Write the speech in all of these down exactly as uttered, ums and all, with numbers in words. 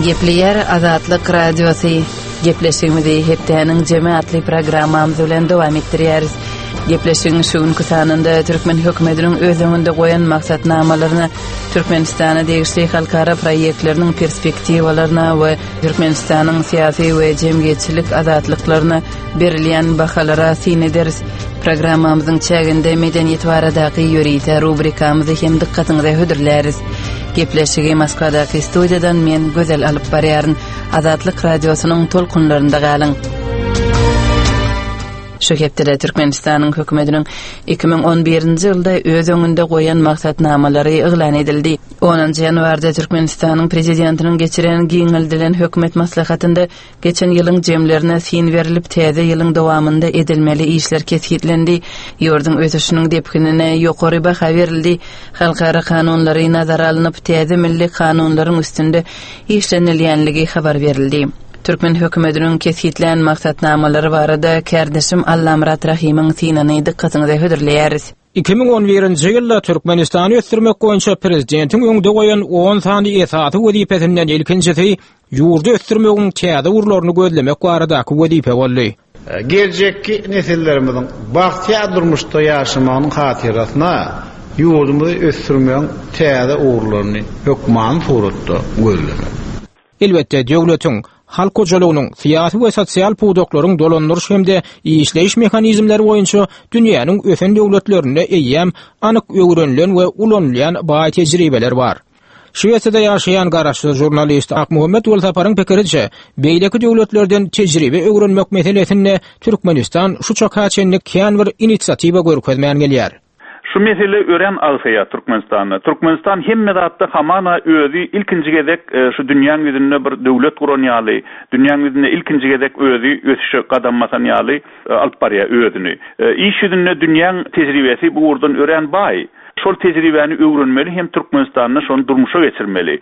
Gepleýär Azatlyk Radiosy. Gepleşigimizi hepdäniň jemi atly programmamyz bilen dowam etdirýäris. Gepleşigiň şu günki sanynda türkmen hökümetiniň öz öňünde goýan maksatnamalaryna, Türkmenistana degişli halkara proýektleriniň perspektiwalaryna we Türkmenistanyň syýasy we jemgyýetçilik azatlyklaryna berilýän bahalara syn ederis. Programmamyzyň çäginde medeniýet baradaky ýörite rubrikamyzy hem dykgatyňyza hödürläris. Gepleşigi Moskwadaky studiýadan men Gözel alyp barýaryn. Azatlyk Radiosynyň tolkunlarynda galyň. Şu hepdede Türkmenistanyň hökümetiniň iki müň on birinji ýylda öz öňünde goýan maksatnamalary yglan edildi. Onunjy ýanwarda Türkmenistanyň prezidentiniň geçiren giňeldilen hökümet maslahatynda geçen ýylyň jemlerine syn berilip, täze ýylyň dowamynda edilmeli işler kesgitlendi. Ýurduň ösüşiniň depginine ýokary baha berildi. Halkara kanunlary nazara alnyp, täze milli kanunlaryň üstünde işlenilýänligi habar berildi. Türkmen hökümetiniň kesgitlän maksatnamalary barada kärdeşim Allamyrat Rahymyň synyny dykgatyňyza hödürleýäris. Iki müň on birinji ýylda Türkmenistany ösdürmek boýunça prezidentiň öňde goýan on sany esasy wezipesinden ilkinjisi ýurdy ösdürmegiň täze ugurlaryny gözlemek baradaky wezipe boldy. Geljekki nesillerimiziň bagtyýar durmuşda ýaşamagynyň hatyrasyna ýurdumyzy ösdürmegiň täze ugurlaryny hökmany suratda gözlemek. Elbetde, döwletiň, halk hojalygynyň, syýasy we sosial pudaklaryň dolandyryş hem-de işleýiş mehanizmleri boýunça dünýäniň ösen döwletlerinde eýýäm anyk öwrenilen we ulanylýan baý tejribeler bar. Şwesiýada ýaşaýan garaşsyz žurnalist Akmuhammet Welsaparyň pikiriçe, beýleki döwletlerden tejribe öwrenmek meselesinde Türkmenistan şu çaka çenli kän bir inisiatiwa görkezmän gelýär. Şu mesele ören agsaýar Türkmenistanda. Türkmenistan hemme zatda hamana özi ilkinji gezek, e, şu dünýäň ýüzünde bir döwlet guran ýaly, dünýäň ýüzünde ilkinji gezek özi ösüşe gadam basan ýaly, e, alyp barýar özüni. E, iş ýüzünde dünýäň tejribesi bu ugurdan ören baý. Şol tejribäni öwrenmeli hem Türkmenistanda şony durmuşa geçirmeli.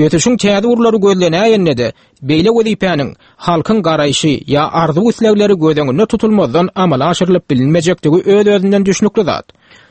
Ösüşiň täze ugurlary gözlenäýende-de, beýle wezipäniň halkyň garaýşy ýa arzuw islegleri göz öňünde tutulmazdan amala aşyrylyp bilinmejekdigi öz-özünden düşnükli zat.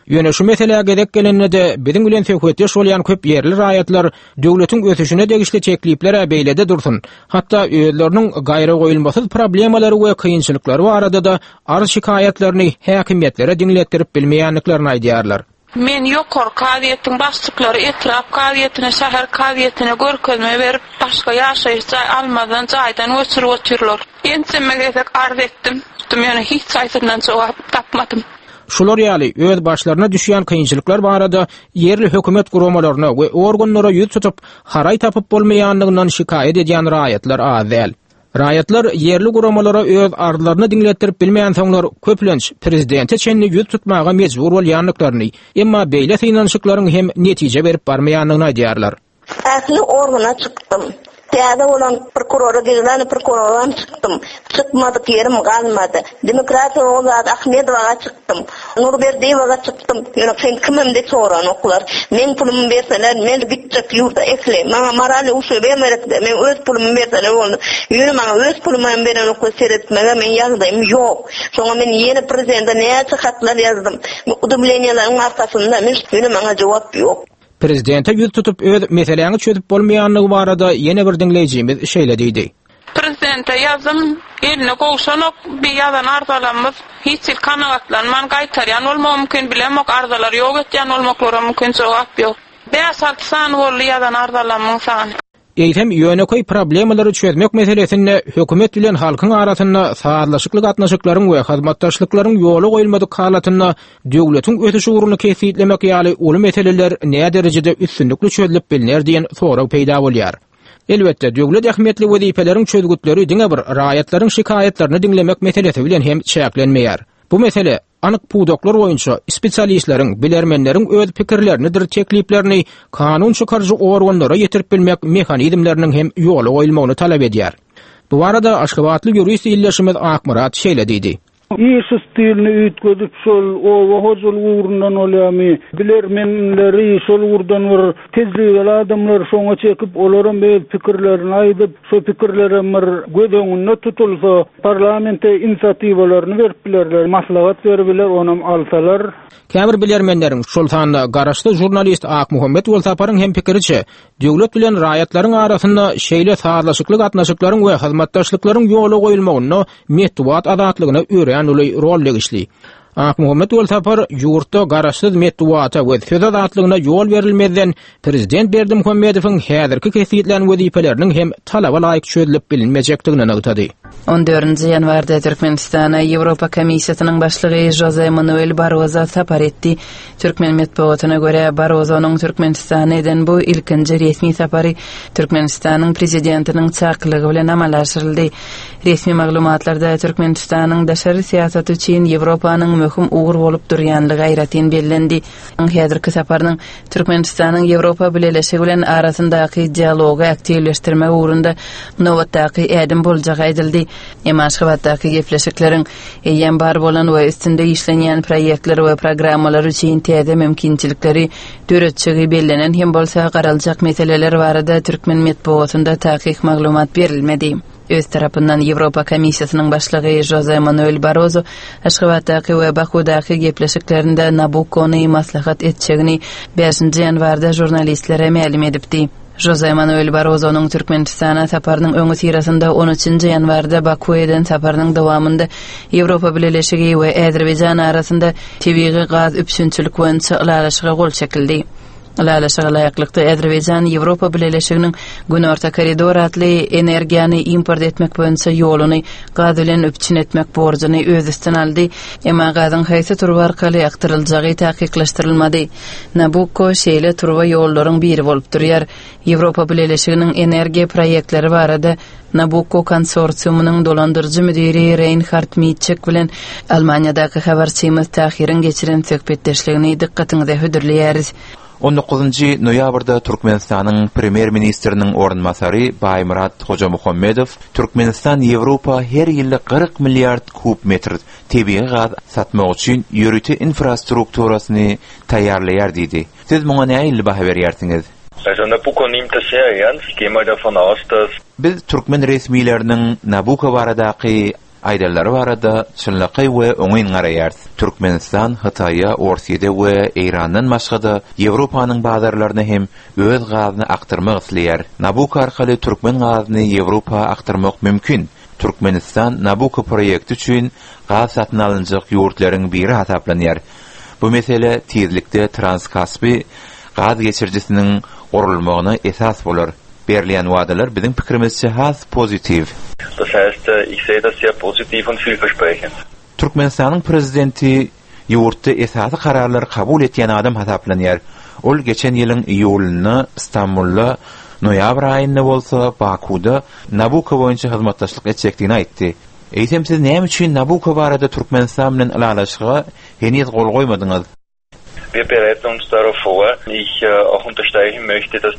Ýöne şu meselä gezek gelende-de biziň bilen söhbetdeş bolýan köp ýerli raýatlar döwletiň ösüşine degişli tekliplere beýlede dursun, hatda özleriniň gaýra goýulmasyz problemalary we kynçylyklary barada-da arz şikaýatlaryny häkimiýetlere diňletdirip bilmeýändiklerini aýdýarlar. Men ýokary kazyýetiň başlyklary etrap kazyýetine, şäher kazyýetine görkezme berip, başga ýaşaýyş jaý almazdan jaýdan göçürip otyrlar. Ençeme gezek arz etdim, ýöne hiç haýsyndan jogap tapmadym. Şular ýaly öz başlaryna düşýän kynçylyklar barada ýerli hökümet guramalaryna we organlara ýüz tutup, haraý tapyp bolmaýanlygyndan şikaýat edýän raýatlar az däl. Raýatlar ýerli guramalara öz arzlaryny diňletdirip bilmeýänsoňlar köplenç prezidente çenli ýüz tutmaga mejbur bolýandyklaryny, emma beýle synanyşyklaryň hem netije berip barmaýandygyny aýdýarlar. Ähli organa çykdym. Täze bolan prokurora, general prokurordan çykdym. Çykmadyk ýerim galmady. Demokratiýa Oguzat Ahmedowaga çykdym. Nurberdiýewaga çykdym. Ýöne sen kimim diýip soranoklar. Men pulumy berseler, men gitjek ýurda ähli. Maňa moral uşu bermerekde, men öz pulumy berseler boldy. Ýöne maňa öz pulumy hem berenoklar, seretmege men ýagdaýym ýok. Soňra men ýene prezidente näçe hatlar ýazdym. Udumleniýalaryň arkasynda men ýöne maňa jogap ýok. Prezidente ýüz tutup öz meseläňi çözüp bolmaýanlygy barada ýene bir diňleýjimiz şeýle diýdi. Prezidente ýazdym, eline gowşanok, bir ýazan arzalarymyz hiç hil kanagatlanman gaýtarýan bolmagy mümkin, bilemok, arzalar ýok etýän bolmaklary mümkin, jogap ýok. Bäş alty sany boldy ýazan arzalarymyň sany. Eýsem ýönekeý problemalary çözmek meselesinde hökümet bilen halkyň arasynda sazlaşykly gatnaşyklaryň we hyzmatdaşlyklaryň ýola goýulmadyk halatynda döwletiň ösüş ugruny kesgitlemek ýaly uly meseleler näderejede üstünlikli çözülip bilner diýen sorag peýda bolýar. Elbetde, döwlet ähmiýetli wezipeleriň çözgütleri diňe bir raýatlaryň şikaýatlaryny diňlemek meselesi bilen hem çäklenmeýär. Bu mesele anyk pudaklar boýunça spesialistleriň, bilermenleriň öz pikirlerinidir tekliplerini kanun çykaryjy organlara ýetirip bilmek mehanizmleriniň hem ýola goýulmagyny talap edýär. Bu barada Aşgabatly ýurist ildeşimiz Akmyrat şeýle diýdi. Iş stilini üýtgedip şol oba hojalyk ugrundan bolýarmy, bilermenleri şol ugurdan bir tejribeli adamlar şoňa çekip, olaram öz pikirlerini aýdyp, şo pikirlerem bir göz öňünde tutulsa, parlamente inisiatiwalaryny berip bilerler, maslahat berip biler, onam alsalar. Käbir bilermenleriň, şol sanda garaşsyz žurnalist Akmuhammet Welsaparyň hem pikiriçe, döwlet bilen raýatlaryň arasynda şeýle sazlaşykly gatnaşyklaryň we hyzmatdaşlyklaryň ýola goýulmagynda metbugat azatlygyna örän uly rol degişli. Akmuhammet Welsapar ýurtda garaşsyz metbugata we söz azatlygyna ýol berilmezden prezident Berdimuhamedowyň häzirki kesitlän wezipeleriniň hem talaba laýyk çözülip bilinmejekdigini nygtady. On dördünji ýanwarda Türkmenistana Ýewropa Komissiýasynyň başlygy Jose Manuel Barroso sapar etdi. Türkmen metbugatyna görä Barrosonyň Türkmenistana eden bu ilkinji resmi sapary Türkmenistanyň prezidentiniň çakylygy bilen amala aşyryldy. Resmi maglumatlarda Türkmenistanyň daşary syýasaty üçin Ýewropanyň möhüm ugur bolup durýanlygy aýratyn bellendi. Häzirki saparynyň Türkmenistanyň Ýewropa Bileleşigi bilen arasyndaky dialogy aktiwleşdirmek ugrunda nobatdaky ädim boljagy aýdyldy. Emma Aşgabatdaky gepleşikleriň eýýäm bar bolan we üstünde işlenýän proýektler we programmalar üçin täze mümkinçilikleri döretjegi bellenen hem bolsa garaljak meseleler barada türkmen metbugatynda takyk maglumat berilmedi. Öz tarapyndan Ýewropa Komissiýasynyň başlygy Jose Manuel Barroso Aşgabatdaky we Bakudaky gepleşiklerinde Nabukkony maslahat etjegini bäşinji ýanwarda žurnalistlere mälim edipdi. Jose Manuel Barrosonyň Türkmenistana saparynyň öňi syrasynda on üçünji ýanwarda Baku eden saparynyň dowamynda Ýewropa Bileleşigi we Azerbaýjan arasynda tebigy gaz üpjünçilik boýunça ylalaşyga gol çekildi. Ylalaşyga laýyklykda Azerbaýjan Ýewropa Bileleşiginiň Günorta koridor atly energiýany import etmek boýunça ýoluny gaz bilen üpjün etmek borjuny öz üstüne aldy. Emma gazyň haýsy turba arkaly akdyryljagy takyklaşdyrylmady. Nabukko şeýle turba ýollaryň biri bolup durýar. Ýewropa Bileleşiginiň energiýa proýektleri barada Nabukko konsorsiumynyň dolandyryjy müdiri Reinhard Mitschek bilen Almaniýadaky habarçymyz Tahiriň geçiren söhbetdeşligini dykgatyňyza hödürleýäris. on dokuzynjy noýabrda Türkmenistanyň premýer-ministriniň orunbasary Baýmyrat Hojamuhammedow Türkmenistan Ýewropa her ýylda kyrk milliard kub metr tebigy gaz satmak üçin ýörite infrastrukturasyny taýýarlaýar diýdi. Siz muňa nähili baha berýärsiňiz? Also Nabucco nimmt das sehr ernst. Ich gehe mal davon aus, dass Biz türkmen resmileriniň Nabucco baradaky aýdanlary barada çynlakaý we oňyn garaýarys. Türkmenistan Hytaýa, Orsiýada we Eýrandan başga-da Ýewropanyň bazarlaryna hem öz gazyny akdyrmak isleýär. Nabucco arkaly türkmen gazyny Ýewropa akdyrmak mümkin. Türkmenistan Nabucco proýekti üçin gaz satyn alynjak ýurtlaryň biri hasaplanýar. Bu mesele tizlikde Transkaspi gaz geçirijisiniň gurulmagyna esas bolar. Berilýän wadalar biziň pikirimizçe has pozitiw. Das heißt, ich sehe das sehr positiv und vielversprechend. Türkmenistanyň prezidenti ýurtda esasy kararlary kabul etýän adam hasaplanýar. Ol geçen ýylyň iýulynda Stambulda, noýabr aýynda bolsa Bakuda Nabucco boýunça hyzmatdaşlyk etjekdigini aýtdy. Eýsem siz näme üçin Nabucco barada Türkmenistan bilen ylalaşyga heniz gol goýmadyňyz? Wir bereiten uns darauf vor. Ich, äh, auch unterstreichen möchte, dass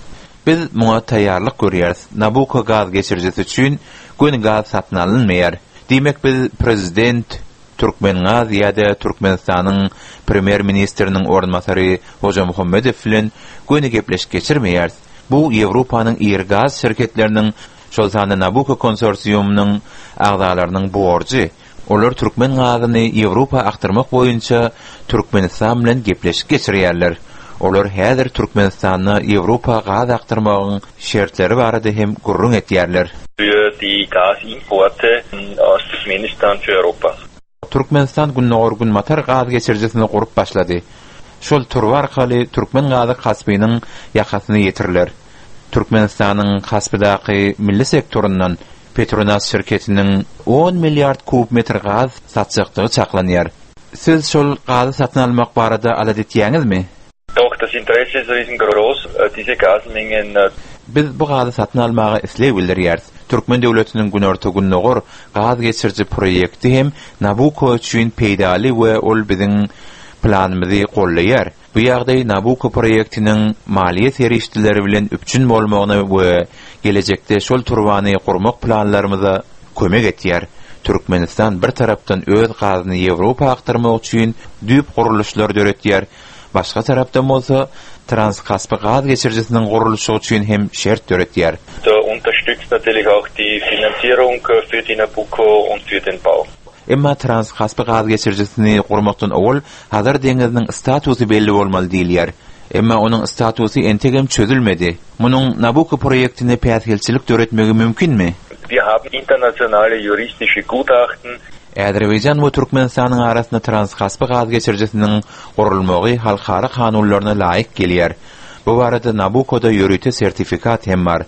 Biz muňa taýýarlyk görýäris. Nabucco gaz geçirijisi üçin göni gaz satyn alynmaýar. Diýmek biz prezident Türkmengaz ýa-da Türkmenistanyň premýer-ministriniň orunbasary Hojamuhammedow bilen göni gepleşik geçirmeýäris. Bu Ýewropanyň iri gaz şirketleriniň, şol sanda Nabucco konsorsiumynyň agzalarynyň borjy. Olar türkmen gazyny Ýewropa akdyrmak boýunça Türkmenistan bilen gepleşik geçirýärler. Olar häzir Türkmenistanda Ýewropa gaz akdyrmagyň şertleri barada hem gürrüň etýärler. Für die Gasimporte aus Turkmenistan für Europa. Türkmenistan Gündogar-Günbatar gaz geçirijisini gurup başlady. Şol turba arkaly türkmen gazy Kaspiniň ýakasyny ýetiriler. Türkmenistanyň Kaspidaky milli sektorundan Petronas şirketiniň on milliard kub metr gaz satjakdygy çaklanýar. Siz şol gazy satyn almak barada alada etýäňizmi? Doch, das Interesse ist riesengroß, diese Gasmengen, äh, Biz bu gazy satyn almaga isleg bildirýäris. Türkmen döwletiniň Günorta-Gündogar gaz geçiriji proýekti hem Nabucco üçin peýdaly we ol biziň planymyzy gollaýar. Bu ýagdaý Nabucco proýektiniň maliýe serişdeleri bilen üpjün bolmagyna we gelejekde şol turbany gurmak planlarymyza kömek etýär. Türkmenistan bir tarapdan öz gazyny Ýewropa aktarmak üçin düýp gurluşlar döretýär, başga tarapdan bolsa Transkaspi gaz geçirijisiniň gurluşygy üçin hem şert döretýär. Da unterstützt natürlich auch die Finanzierung für die Nabucco und für den Bau. Emma Transkaspi gaz geçirijisini gurmakdan owal Hazar deňiziniň statusy belli bolmaly diýilýär. Emma onuň statusy entegem çözülmedi. Munuň Nabucco proýektine päsgelçilik döretmegi mümkinmi? Wir haben internationale juristische Gutachten. Azerbaýjan we Türkmenistanyň arasynda Transkaspi gaz geçirijisiniň gurulmagy halkara kanunlaryna laýyk gelýär. Bu barada Nabuccoda ýörite sertifikat hem bar.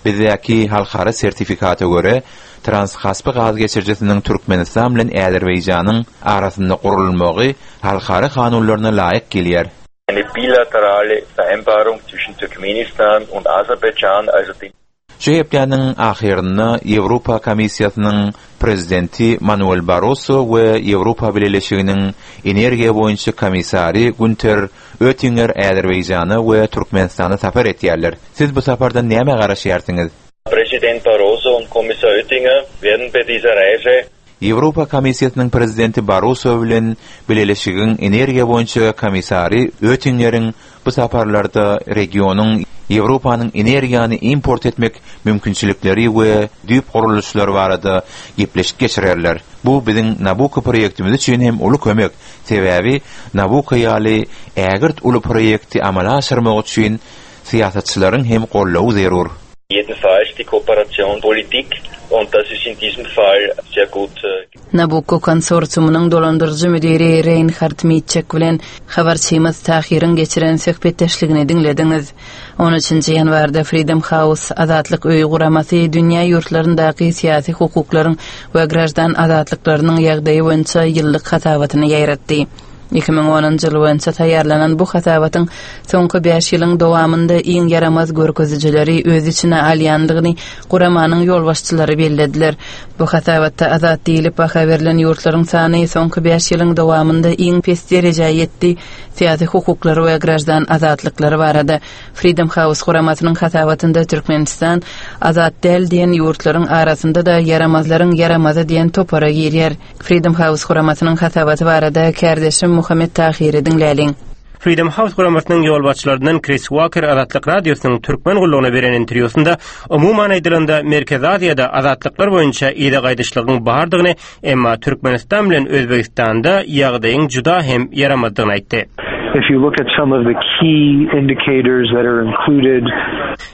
Bizdäki halkara sertifikata görä Transkaspi gaz geçirijisiniň Türkmenistan bilen Azerbaýjanyň arasynda gurulmagy halkara kanunlaryna laýyk gelýär. Eine bilaterale Vereinbarung zwischen Turkmenistan und Aserbaidschan, also den Şu hepdäniň ahyrynda Ýewropa Komissiýasynyň prezidenti Manuel Barroso we Ýewropa Bileleşiginiň energiýa boýunça komissary Günter Oettinger Azerbaýjana we Türkmenistana sapar etýärler. Siz bu sapardan näme garaşýarsyňyz? Präsident Barroso und Kommissar Oettinger werden bei dieser Reise Ýewropa Komissiýasynyň prezidenti Barroso bilen Bileleşigiň energiýa boýunça komissary Oettingeriň bu saparlarda regionyň Ýewropanyň energiýany import etmek mümkinçilikleri we düýp gurluşlary barada gepleşik geçirerler. Bu biziň Nabucco proýektimiz üçin hem uly kömek. Sebäbi Nabucco ýaly ägirt uly proýekti amala aşyrmak üçin syýasatçylaryň hem goldawy zerur. Jedenfalls die Kooperation Politik und das ist in diesem Fall sehr gut. Nabucco konsorsiumynyň dolandyryjy müdiri Reinhard Mitschek bilen habarçymyz Tahiriň geçiren söhbetdeşligini diňlediňiz. on üçünji ýanwarda Freedom House Azatlyk öýi guramasy dünýä ýurtlaryndaky syýasy hukuklaryň we graždan azatlyklarynyň ýagdaýy boýunça ýyllyk hasabatyny ýaýratdy. iki müň onunjy ýyl boýunça taýýarlanan bu hasabatyň soňky bäş ýylyň dowamynda iň ýaramaz görkezijileri öz içine alýandygyny guramanyň ýolbaşçylary bellediler. Bu hasabatda azat diýlip baha berlen ýurtlaryň sany soňky bäş ýylyň dowamynda iň pes derejä ýetdi. Syýasy hukuklary we graždan azatlyklary barada Freedom House guramasynyň hasabatynda Türkmenistan azat däl diýen ýurtlaryň arasynda da ýaramazlaryň ýaramazy diýen topara girýär. Freedom House guramasynyň hasabaty barada kärdeşim Muhammet Tahiri diňläliň. Freedom House guramasynyň ýolbaşçylaryndan Chris Walker Azatlyk Radiosynyň türkmen gullugyna beren interwýusynda umuman aýdylanda Merkezi Aziýada azatlyklar boýunça ýa gaýdyşlygyň bardygyny, emma Türkmenistan bilen Özbegistanda ýagdaýyň juda hem ýaramazdygyny aýtdy. If you look at some of the key indicators that are included,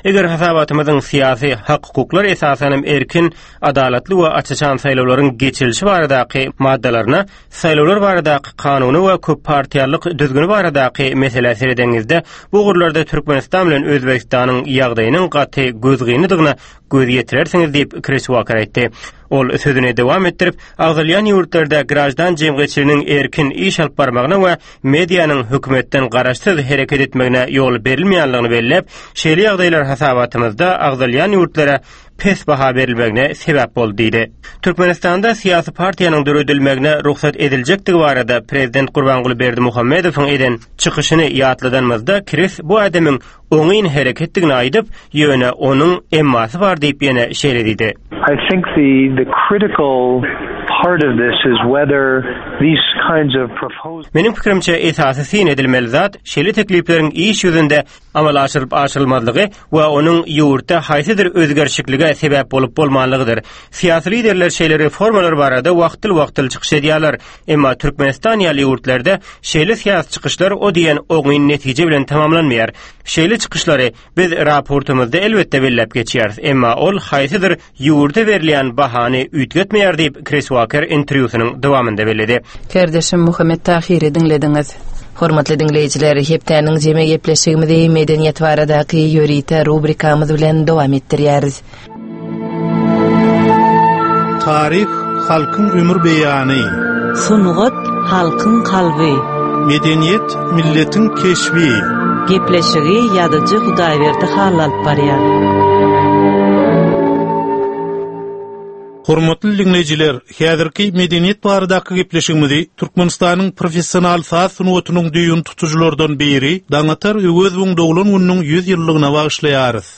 Eger hasabatymyzyň syýasy hak-hukuklar esasanam erkin, adalatly we açyşan saýlawlaryň geçirilişi baradaky maddalaryna, saýlawlar baradaky kanuny we köp partiýalyk düzgüni baradaky meselä seredeňizde, bu ugurlarda Türkmenistan bilen Özbegistanyň ýagdaýynyň gaty gözgynydygyna göz ýetirersiňiz diýip Chris Walker aýtdy. Ol sözüni dowam etdirip, agzalýan ýurtlarda graždan jemgyýetçiliginiň erkin iş alyp barmagyna we medianyň hökümetden garaşsyz hereket etmegine ýol berilmeýänligini belläp, şeýle ýagdaýlar hasabatymyzda agzalýan ýurtlara pes baha berilmegine sebäp boldy diýdi. Türkmenistanda syýasy partiýanyň döredilmegine rugsat ediljekdigi barada prezident Gurbanguly Berdimuhamedowyň eden çykyşyny ýatladanymyzda Chris bu adamyň oňyn hereketdigini aýdyp, ýöne onuň emmasy bar diýip ýene şeýle diýdi. I think the the critical part of this is whether these kinds of proposals Meniň pikirimçe esasy syn edilmeli zat şeýle teklipleriň iş ýüzünde amala aşyrylyp aşyrylmazlygy we onuň ýurtda haýsydyr özgerişiklige sebäp bolup bolmanlygydyr. Syýasy liderler şeýle reformalar barada wagtyl-wagtyl çykyş edýärler. Emma Türkmenistan ýaly ýurtlarda şeýle syýasy çykyşlar o diýen oňyn netije bilen tamamlanmaýar. Şeýle çykyşlary biz raportymyzda elbetde belläp geçýäris. Emma ol haýsydyr ýurda berilýän bahany üýtgetmeýär diýip Chris Walker interwýusynyň dowamynda belledi. Kärdeşim Muhammet Tahiri diňlediňiz. Hormatly diňleýjiler, hepdäniň jemi gepleşigimizi medeniýet baradaky ýörite rubrikamyz bilen dowam etdirýäris. Taryh halkyň ömür beýany. Sungat halkyň kalby. Medeniýet milletiň keşbi. Gepleşigi ýazyjy Hudaýberdi Hally alyp barýar. Hormatly dinleýjiler, häzirki medeniýet baradaky gepleşigimizi Türkmenistanyň professional saz sungatynyň düýün tutujylardan biri Daňatar Öwezowyň doglan gününiň ýüz ýyllygyna bagyşlaýarys.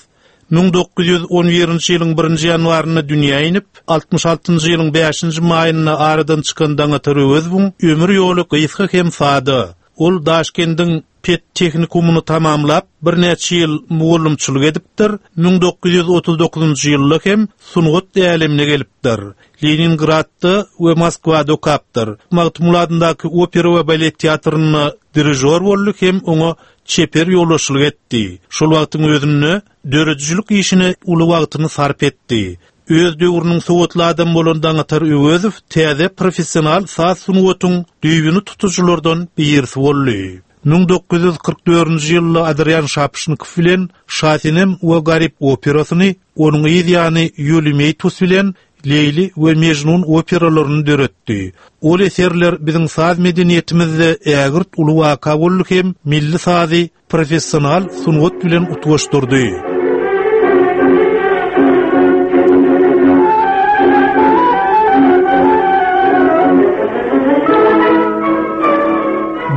Müň dokuz ýüz on birinji ýylyň birinji ýanwarynda dünýä inip, altmyş altynjy ýylyň bäşinji maýynda aradan çykan Daňatar Öwezowyň ömür ýoly gysga hem sada. Ol Daşkendiň pet tehnikumyny tamamlap, birnäçe ýyl mugallymçylyk edipdir, müň dokuz ýüz otuz dokuzynjy ýylda hem sungat älemine gelipdir. Leningradda we Moskwada okapdyr. Magtymguly adyndaky opera we balet teatrynda dirijor boldy hem oňa çeper ýolbaşçylyk etdi. Şol wagtyň özünde döredijilik işine uly wagtyny sarp etdi. Öz döwrüniň sowatly adam bolan Daňatar Öwezow täze professional saz sungatyň düýbüni tutujylardan birisi boldy. Müň dokuz ýüz kyrk dördünji ýylda Adrian Şapşnikow bilen Şasenem we Garip operasyny, onuň yz ýany Ýuli Meýtus bilen Leýli we Mejnun operalaryny döretdi. Ol eserler biziň saz medeniýetimizde ägirt uly waka boldy hem milli sazy professional sungat bilen utgaşdyrdy.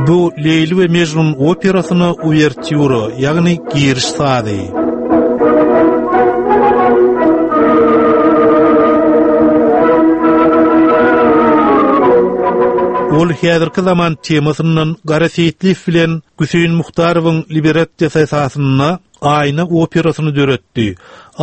Bu Leýli we Mejnun operasyna uwertýura, ýagny giriş sazy. Ol häzirki zaman temasyndan Gara Seýitliýew bilen Güseýin Muhtarowyň librettesi esasynda Aýna operasyny döretdi.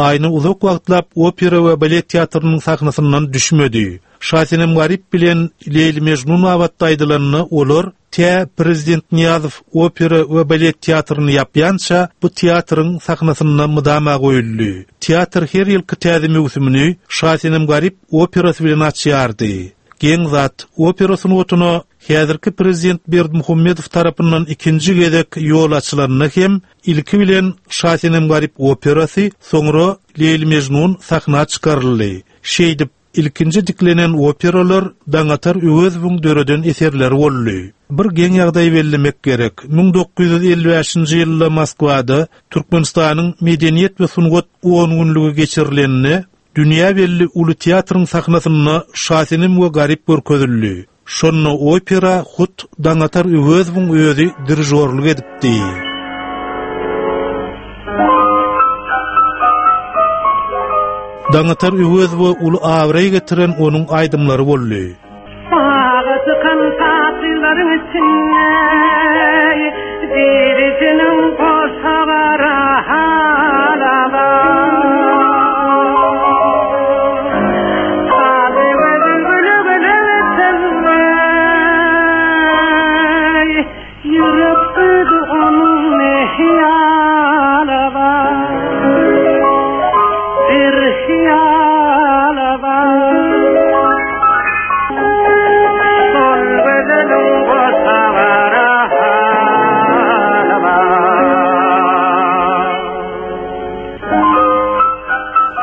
Aýna uzak wagtlap opera we balet teatrynyň sahnasyndan düşmedi. Şasenem Garip bilen Leýli Mejnun babatda aýdylanda olar tä Prezident Niýazow opera we balet teatryny ýapýança bu teatryň sahnasynda mydama goýuldy. Teatr her ýylky täze möwsümini Şasenem Garip operasy bilen açýardy. Geň zat, opera sungatyna häzirki Prezident Berdimuhamedow tarapyndan ikinji gezek ýol açylanda hem ilki bilen Şasenem Garip operasy, soňra Leýli Mejnun sahna çykaryldy. Şeýdip, ilkinji diklenen operalar Daňatar Öwezowyň döreden eserleri boldy. Bir geň ýagdaý bellemek gerek. Müň dokuz ýüz elli bäşinji ýylda Moskwada Türkmenistanyň medeniýet we sungat on günlügi geçirilende dünýä belli uly teatryň sahnasynda Şasenem we Garip görkezildi. Şonda opera hut Daňatar Öwezowyň özi dirijorlyk edipdi. Daňatar Öwezowa uly abraý getiren onuň aýdymlary boldy. Baga çykan tatlylaryň içinde birisiniň goşa gara halaba.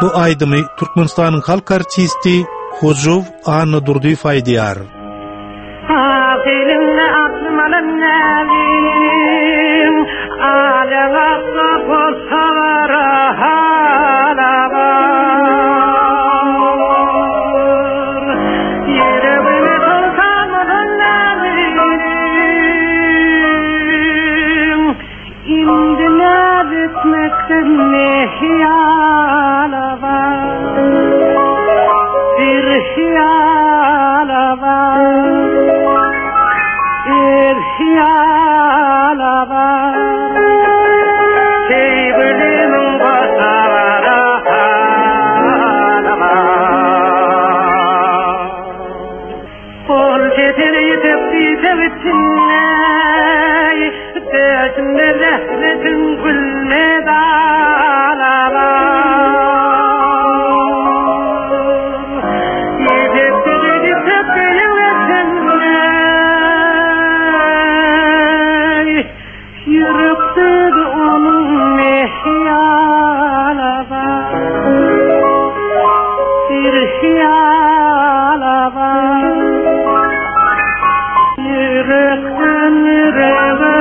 Bu aýdymy Türkmenistanyň halk artisti Hojow Anna Durdyýew aýdýar. Azylyňda aklym alan nälim, alýan akla bolsa halaba. Ýüregime soltan bolan nälim, indi näz etmekden ne hyýala bar? Bir hyýala bar, bir hyýala bar. Sevgilimin goşagara hala bar. Ol jetini ýetip diýsek içinde, döşünde rehnetin gülme dalalar. Ýetip diýsek içinde, ýürekde onuň hyýala bar. Bir hyýala bar. Ýürekden ýürege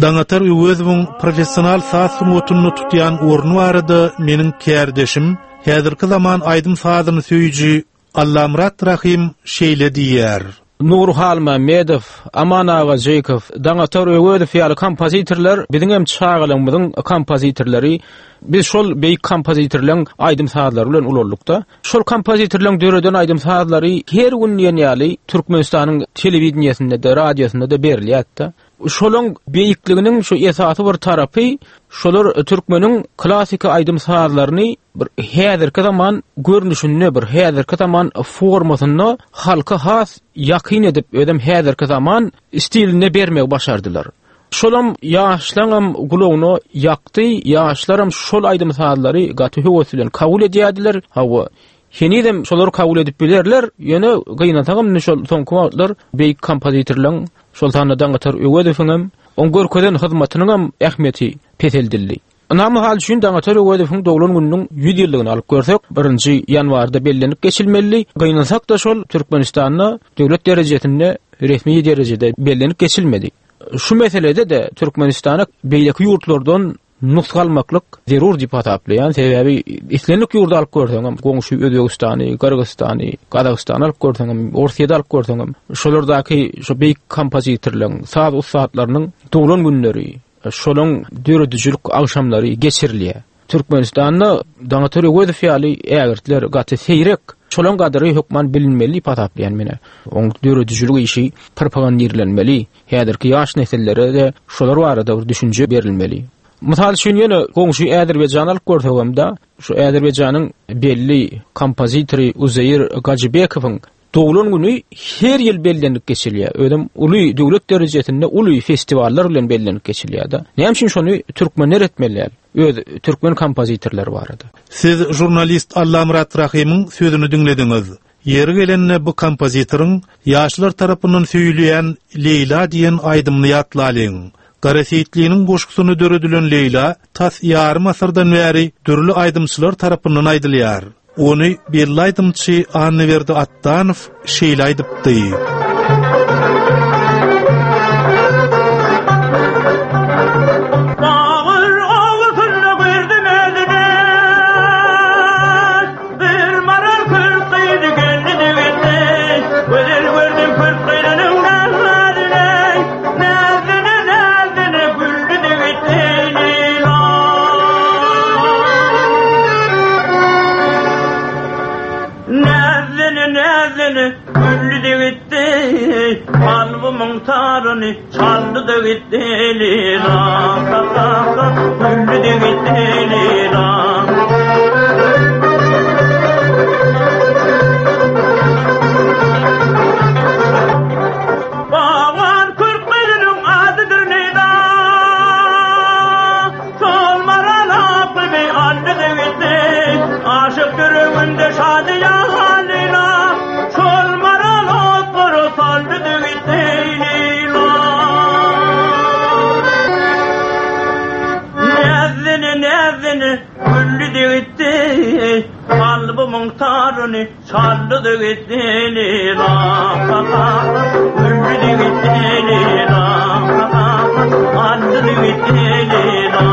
Daňatar Öwezowyň professional saz sungatyny tutýan orny barada meniň kärdeşim, häzirki zaman aýdym sazyny söýüji Allamyrat Rahim şeýle diýýär. Nury Halmämmedow, Aman Agajykow, Daňatar Öwezow ýaly kompozitorlar biziň hem çagalygymyzyň kompozitorlary. Biz şol beýik kompozitorlaryň aýdym-sazlary bilen ulaldyk-da. Şol kompozitorlaryň döreden aýdym-sazlary her gün diýen ýaly Türkmenistanyň telewideniýesinde-de, radiosynda-da berilýärdi. Şolaň beýikliginiň şu esasy bir tarapy şolar türkmeniň klasiki aýdym-sazlaryny bir häzirki zaman görnüşinde, bir häzirki zaman formasynda halka has ýakyn edip, özem häzirki zaman stilinde bermegi başardylar. Şolam ýaşlaňam gulagyna ýakdy, ýaşlaram şol aýdym-sazlary gaty höwes bilen kabul edýärdiler. Hawa, henizem şolary kabul edip bilerler, ýöne gynansagam indi şol soňky wagtlar beýik kompozitorlaryň, şol sanda Daňatar Öwezowyň hem oň görkezen hyzmatynyň hem ähmiýeti peseldildi. Ynha mysal üçin Daňatar Öwezowyň doglan gününiň ýüz ýyllygyny alyp görsek, birinji ýanwarda bellenip geçilmeli. Gynansak-da şol Türkmenistanda döwlet derejesinde resmi derejede bellenip geçilmedi. Şu meselede-de Türkmenistana beýleki ýurtlardan nusga almaklyk zerur diýip hasaplaýan. Sebäbi islendik ýurdy alyp görseňem, goňşy Özbegistany, Gyrgyzystany, Gazagystany alyp görseňem, Orsýeti alyp görseňem, şolardaky şu beýik kompozitorlaryň, saz ussatlarynyň doglan günleri, şolaryň döredijilik agşamlary geçirilýär. Türkmenistanda Daňatar Öwezow ýaly ägirtler gaty seýrek. Şolaryň gadyry hökman bilinmeli diýip hasaplaýan men. Oň döredijilik işi propagandirlenmeli. Häzirki ýaş nesillere-de şolar barada bir düşünje berilmeli. Mysal üçin ýene goňşy Azerbaýjany alyp görsegem-de, şu Azerbaýjanyň belli kompozitory Uzeýir Gajybekowyň doglan güni her ýyl bellenip geçilýär. Özem uly döwlet derejesinde uly festiwallar bilen bellenip geçilýär-de. Näme üçin şony türkmenler etmeli däl? Öz türkmen kompozitorlary barada. Siz žurnalist Allamyrat Rahymyň sözüni diňlediňiz. Ýeri gelende bu kompozitoryň ýaşlar tarapyndan söýülýän Leýla diýen aýdymyny ýatlalyň. Gara Seýitliniň goşgusyny döredilen Leýla tas ýarym asyrdan bäri dürli aýdymçylar tarapyndan aýdylýar. Ony belli aýdymçy Annaberdi Atdanow şeýle aýdypdy. Bagyr awusynda gördüm özüni. Bir maral kürt gyzy geldi de gitdi. Gözel gördüm kürt gyzynyň nazine. Nazine, nazine güldü de gitdi. Leyla. Nazine, nazine güldü de gitdi. Kalbımın tarını çaldı da gitdi. Leyla. Güldü de gitti. Leyla. Baban kürt gyzynyň adydyr Leyla. Sol maral aklymy aldy da gitdi. Aşyk ýüreginde şadyýan Leyla. Sol maral otlara saldy da gitdi. Leyla. Näzini, näzini güldü de gitdi. Kalbımın tarını çaldı da gitti. Leyla. Güldü de gitti. Leyla. Aldı da gitti. Leyla.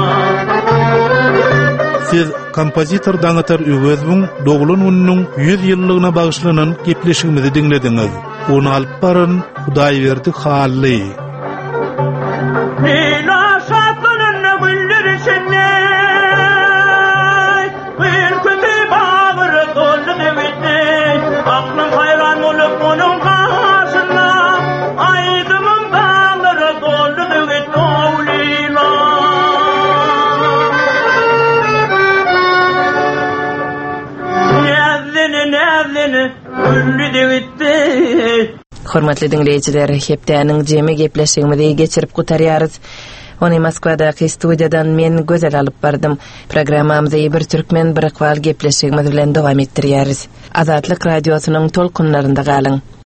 Siz kompozitor Daňatar Öwezowyň doglan gününiň ýüz ýyllygyna bagyşlanan gepleşigimizi diňlediňiz. Ony alyp baran Hudaýberdi Hally. Leyla şatlananda güller içinde, bir kötü bağırı doldu da gitti. Aklım hayran olup onun karşısına, aydımın dağları doldu da gitti. Oh Leyla. Näzini, näzini güldü de gitti. Hormatly diňleýjiler, hepdäniň jemi gepleşigimizi geçirip gutarýarys. Ony Moskwadaky studiýadan men Gözel alyp bardym. Programmamyzy bir türkmen bir ykbal gepleşigimiz bilen dowam etdirýäris. Azatlyk radiosynyň tolkunlarynda galyň.